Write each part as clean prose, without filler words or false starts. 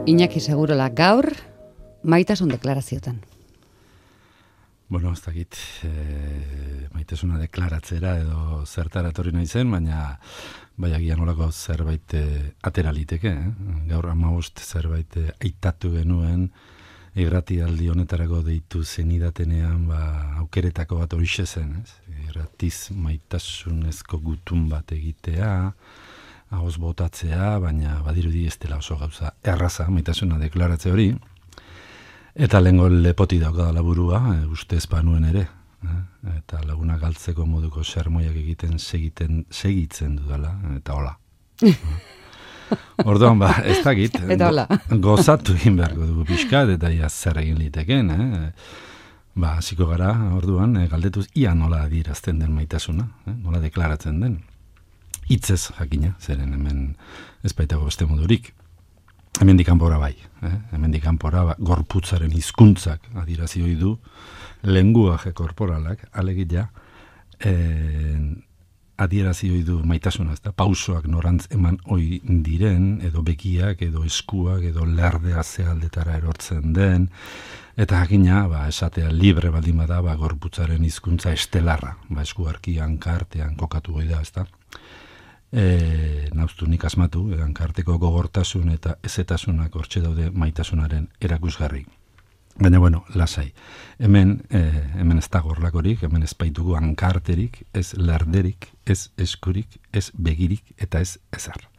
Iñaki Segurola gaur, maitasun deklaraziotan. Bueno, ez dakit, maitasuna deklaratzera edo zertara etorri nahi zen, baina agian olako zerbait atera liteke. Gaur 15 zerbait aitatu genuen, irratialdi honetarako deitu zenidatenean aukeretako bat horixe zen. Irratiz maitasunezko gutun bat egitea, ahoz botatzea, baina badirudi ez dela oso gauza erraza maitasuna deklaratze hori. Eta lehengo lepoti daukadala burua, uste ezpanuen ere. Eta laguna galtzeko moduko sermoiak egiten segitzen dudala, eta hola. Orduan, ez dakit, gozatu egin beharko dugu pixkat, eta ia zer egin liteken, hasiko gara, orduan, galdetuz, ia nola adierazten den maitasuna, nola deklaratzen den. Hitzez jakina, zeren hemen ez baitago beste modurik. Hemendik kanpora bai, hemendik kanpora gorputzaren hizkuntzak adierazi ohi du, lenguaje korporalak, alegia, adierazi ohi du maitasuna, ezta? Pausoak norantz eman ohi diren, edo begiak, edo eskuak, edo lerdea zealdetara erortzen den, eta jakina, esatea libre baldin bada, gorputzaren hizkuntza estelarra, eskuarkian, kartean kokatu goi da, ezta? Nauztu nik asmatu, hankarteko gogortasun eta ezetasunak hortxe daude maitasunaren erakusgarri. Baina, lasai. Hemen ez da gorlakorik, hemen ez baitugu hankarterik, ez lerderik, ez eskurik, ez begirik eta ez ezar.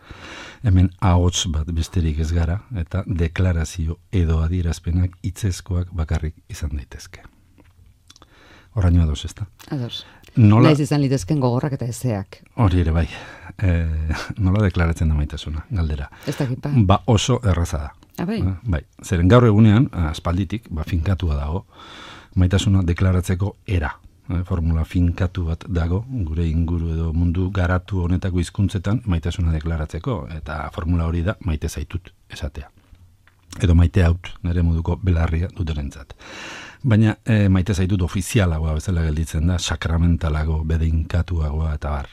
Hemen ahots bat besterik ez gara eta deklarazio edo adierazpenak hitzezkoak bakarrik izan daitezke. Horraino ados, ez da? Ados. Naiz izan litezken gogorrak eta ezeak. Hori ere bai. Nola deklaratzen da maitasuna, galdera. Ez dakit oso erraza da. Bai. Bai. Zeren gaur egunean, aspalditik, finkatua dago, maitasuna deklaratzeko era. Formula finkatu bat dago, gure inguru edo mundu garatu honetako hizkuntzetan maitasuna deklaratzeko, eta formula hori da maite zaitut esatea. Edo maite haut, nire moduko belarria duterentzat. Baina maite zaitut ofizialagoa bezala gelditzen da, sakramentalago, bedeinkatuagoa eta bar.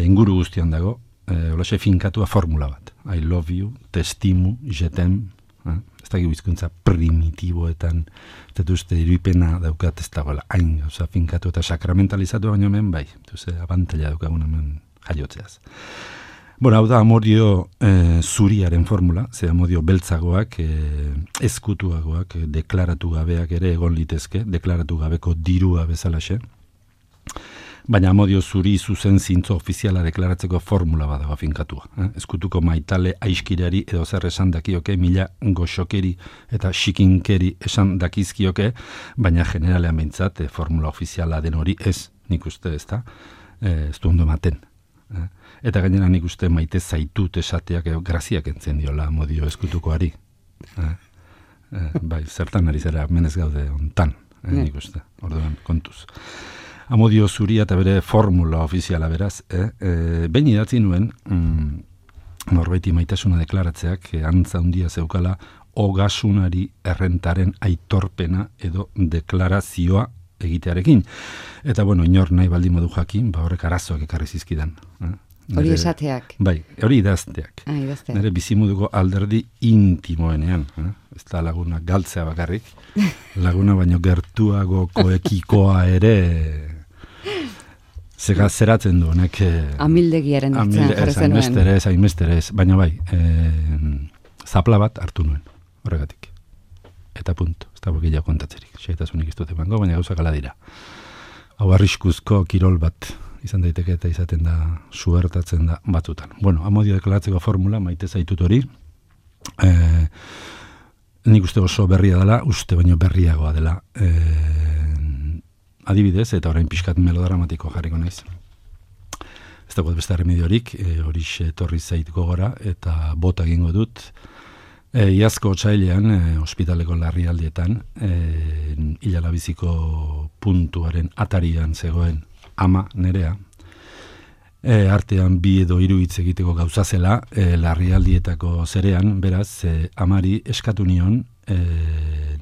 Inguru guztian dago, holaxe finkatua formula bat. I love you, testimu, jetem, ez dakik bizkuntza primitiboetan, ez dut uste iripena daukat ez dagoela, hain gauza finkatu eta sakramentalizatu baino hemen, bai, abantela daukagun hemen jaiotzeaz. Hau da amodio zuriaren formula, ze amodio beltzagoak, ezkutuagoak, deklaratu gabeak ere egon litezke, deklaratu gabeko dirua bezalaxe. Baina amodio zuri zuzen zintzo ofiziala deklaratzeko formula badago finkatua. Ezkutuko maitale aiskirari edo zer esan dakioke, mila goxokeri eta xikinkeri esan dakizkioke, baina generalean behintzat formula ofiziala den hori ez, nik uste ez da, ez du ondo ematen. Eta gainera nik uste maite zaitut esateak graziak entzen diola amodio ezkutukoari. Bai, zertan ari zera menez gaude ontan, nik uste, orduan kontuz. Amodio zuria eta bere formula ofiziala beraz, behin idatzi nuen, norbaiti maitasuna deklaratzeak, antza handia zeukala, ogasunari errentaren aitorpena edo deklarazioa egitearekin. Eta inor nahi baldin modu jakin, horrek arazoak ekarri zizkidan. Hori esateak. Bai, hori idazteak. Nire bizimuduko alderdi intimoenean. Ez da laguna galtzea bakarrik, laguna baino gertuago koekikoa ere zeratzen du, honek... Amildegiaren atzean jarri zenuen. Hainbestere ez, baina bai, zapla bat hartu nuen, horregatik. Eta punto, ez da bokila kontatzerik. Xeetasunik ez dut emango, baina gauzak ala dira. Hau arriskuzko kirol bat izan daiteke eta izaten da, suertatzen da batzutan. Amodio deklaratzeko formula, maite zaitut hori, nik uste oso berria dela, uste baino berriagoa dela. Adibidez, eta orain pixkat melodramatiko jarriko naiz. Ez dagoet beste remediorik, horixe etorri zait gogora, eta bota egingo dut. Iazko otsailean, ospitaleko larrialdietan, hilalabiziko puntuaren atarian zegoen ama nerea, artean 2 edo 3 hitz egiteko gauza zela, larrialdietako zerean, beraz, amari eskatu nion, ez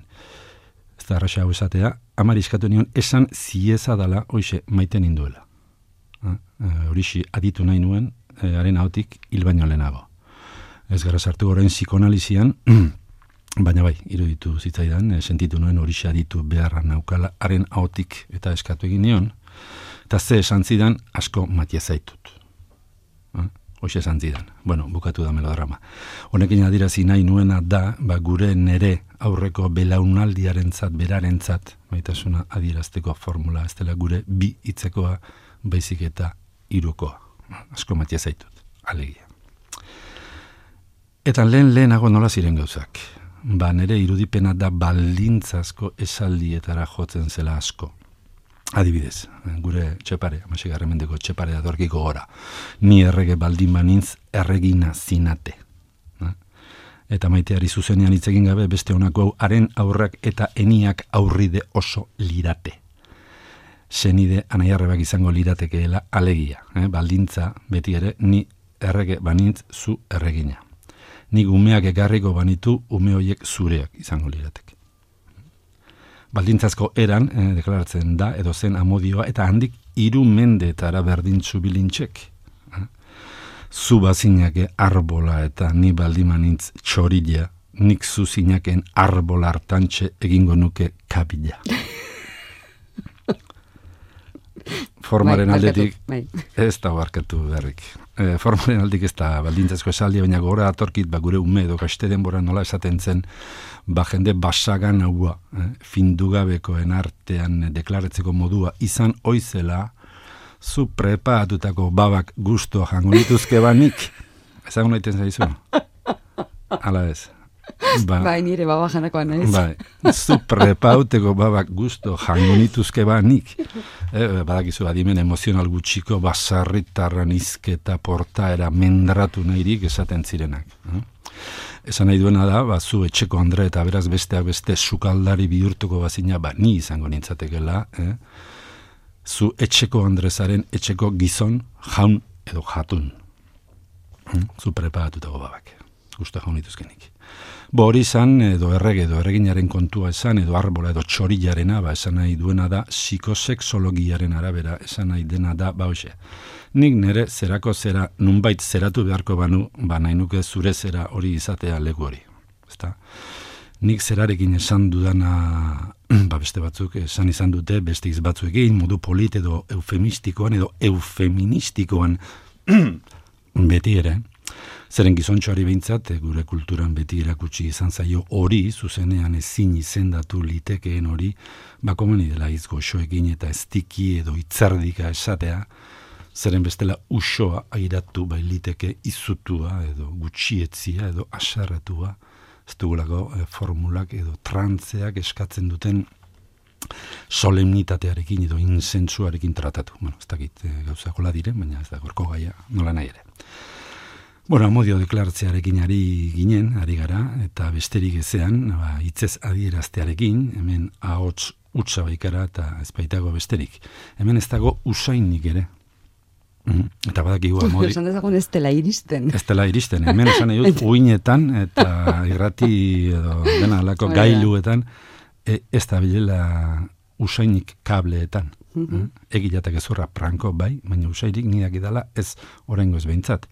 da arraxa hau esatea, amari eskatu nion esan zieza dala hoize maiten induela. Horixi aditu nahi nuen, haren ahotik hil baino lehenago. Ez gara sartu orain psikoanalizian, baina bai, iruditu zitzaidan, sentitu nuen horixe aditu beharra naukala haren ahotik eta eskatu egin nion, eta ze esan zidan asko matia zaitut. Hoxe esan zidan. Bueno, bukatu da melodrama. Honekin adirazi nahi nuena da, gure nere aurreko belaunaldiarentzat, berarentzat, maitasuna adierazteko formula, ez dela gure bi hitzekoa, baizik eta hirukoa. Asko matia zaitut, alegia. Eta lehenago nola ziren gauzak. Nere irudipena da baldintzazko esaldietara jotzen zela asko. Adibidez, gure txepare, 16. mendeko txepare datorkiko gora. Ni errege baldin banintz erregina zinate. Eta maiteari zuzenean hitz egin gabe beste honako hau haren aurrak eta eniak aurride oso lirate. Senide anaiarrebak izango liratekeela alegia. Baldintza beti ere ni errege banintz zu erregina. Nik umeak ekarriko banitu ume horiek zureak izango lirateke. Baldintzazko eran, deklaratzen da, edo zen amodioa, eta handik 3 mendetara berdintzu bilintxek. Zu bazinake arbola eta ni baldimanintz txorila, nik zu zinaken arbola hartantxe egingo nuke kabila. Formaren aldetik ez da barkatu berrik. Formaren aldetik ez da baldintzazko esaldia, baina gora atorkit gure ume edo kaste denbora nola esaten zen, jende basagan haua, findugabekoen artean deklaratzeko modua izan oizela, zu preparatutako babak gusto jango nituzke banik. Ezagun naiten zaizu? Ala ez. Bai, nire baba janakoan ez. Bai, zu prepauteko babak gusto jango nituzke banik. Badakizu adimen emozional gutxiko basarritarran izketa portaera mendratu nahirik esaten zirenak. Esan nahi duena da, zu etxeko andre eta beraz besteak beste sukaldari bihurtuko bazina, ni izango nintzatekela, zu etxeko andrezaren etxeko gizon jaun edo jatun. Zu preparatutako babak, gusto jaun dituzkenik. Hori izan, edo errege, edo erreginaren kontua esan, edo arbola, edo txorilarena, esan nahi duena da, psikosexologiaren arabera, esan nahi dena da, hoxe. Nik nire zerako zera, nunbait zeratu beharko banu, nahi nuke zure zera hori izatea leku hori. Ezta? Nik zerarekin esan dudana, beste batzuk esan izan dute, beste batzuekin, modu polit edo eufemistikoan, edo eufeministikoan, beti ere, zeren gizontxoari behintzat, gure kulturan beti erakutsi izan zaio hori, zuzenean ezin izendatu litekeen hori, komeni dela izgoxoekin eta estiki edo itzardika esatea, zeren bestela usoa airatu bailiteke izutua edo gutxietzia edo asarretua, ez dugulako formulak edo trantzeak eskatzen duten solemnitatearekin edo insentsuarekin tratatu. Ez dakit gauzakola diren, baina ez da gorko gaia nola nahi ere. Amodio deklaratzearekin ari gara, eta besterik ezean, hitzez adieraztearekin, hemen ahots utza baikara eta ezpaitago besterik. Hemen ez dago usainik ere. Eta badakigu amodi... Esan dezagun ez dela iristen. Ez dela iristen, hemen esan nahi dut uinetan eta irrati edo dena alako gailuetan ez da bilela usainik kableetan. Egilatak ezurra pranko bai, baina usairik nidak idala ez oraingo ez behintzat.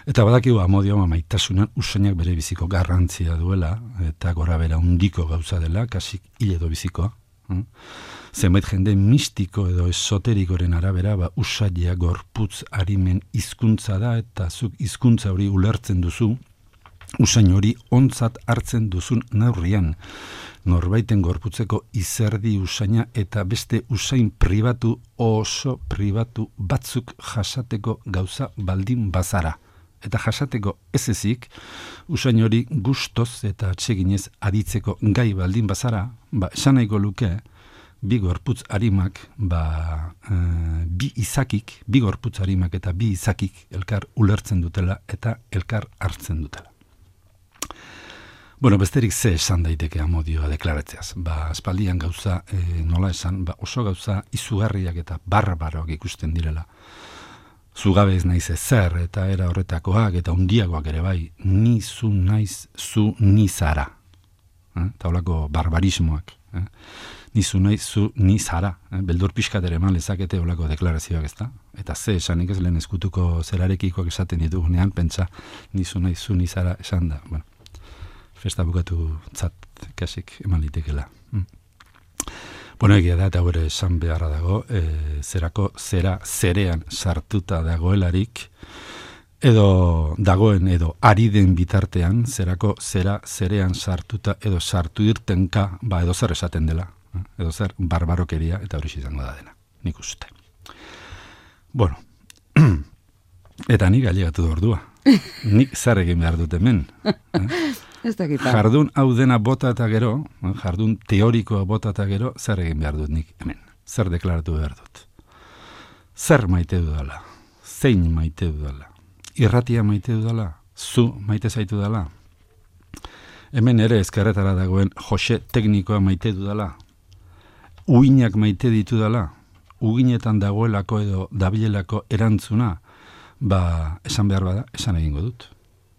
Eta badakigu amodio maitasunan usainak bere biziko garrantzia duela, eta gora bera undiko gauza dela, kasik hil edo bizikoa. Zenbait jende mistiko edo esoterikoren arabera, usaila gorputz arimen hizkuntza da, eta zuk hizkuntza hori ulertzen duzu, usain hori ontzat hartzen duzun neurrian. Norbaiten gorputzeko izerdi usaina eta beste usain pribatu, oso pribatu batzuk jasateko gauza baldin bazara. Eta jasateko ez ezik, usain hori gustoz eta atseginez aditzeko gai baldin bazara, esan nahiko luke, bi gorputz arimak, bi izakik, bi gorputz arimak eta bi izakik elkar ulertzen dutela eta elkar hartzen dutela. Besterik ze esan daiteke amodioa deklaratzeaz. Aspaldian gauza, nola esan, oso gauza izugarriak eta barbaroak ikusten direla. Zugabe ez naiz ezer eta era horretakoak eta hundiagoak ere bai, ni zu naiz zu ni zara. Taulako barbarismoak Nizu nahi, zu ni zara. Beldur pixkat ere eman lezakete olako deklarazioak, ez da? Eta ze esanik ez lehen eskutuko zerarekikoak esaten ditugunean, pentsa, nizu nahi, zu ni zara esan da. Bueno, festa bukatu tzat kasik eman litekela. Bueno, egia da, eta gure esan beharra dago, zerako zera zerean sartuta dagoelarik, edo dagoen edo ari den bitartean, zerako zera zerean sartuta edo sartu irtenka, edo zer esaten dela, edo zer barbarokeria, eta hori izango da dena, nik uste. Bueno, eta nik ailegatu da ordua. Nik zer egin behar dut hemen. Jardun hau dena bota eta gero, jardun teorikoa bota eta gero, zer egin behar dut nik hemen. Zer deklaratu behar dut. Zer maite dudala. Zein maite dudala. Irratia maite dudala. Zu maite zaitu dala. Hemen ere ezkerretara dagoen Jose teknikoa maite dudala. Uinak maite ditu dala. Uginetan dagoelako edo dabilelako erantzuna, esan behar bada, esan egingo dut.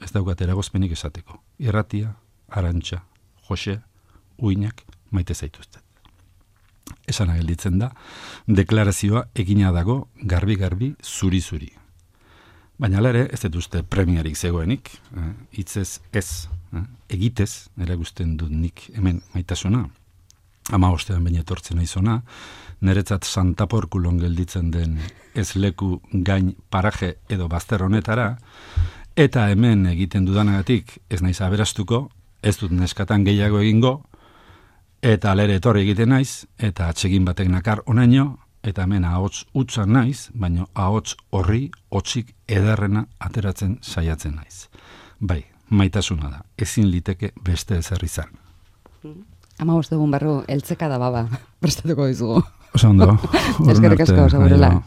Ez daukat eragozpenik esateko. Irratia, Arantxa, Jose, Uinak maite zaituztet. Esan gelditzen da, deklarazioa egina dago garbi-garbi, zuri-zuri. Baina ere, ez dut uste premiarik zegoenik, hitzez ez, egitez, eragusten dut nik hemen maitasuna. 15 baina etortzen naizona, niretzat Santaporkulon gelditzen den ez leku gain paraje edo bazter honetara, eta hemen egiten dudanagatik ez naiz aberastuko, ez dut neskatan gehiago egingo, eta alere etorri egiten naiz, eta atsegin batek nakar onaino, eta hemen ahots utza naiz, baina ahots horri hotsik ederrena ateratzen saiatzen naiz. Bai, maitasuna da, ezin liteke beste ezer izan. 15 egun barru, eltzeka da baba, prestatuko dizugu. Oso ondo. Eskerrik asko, segurela.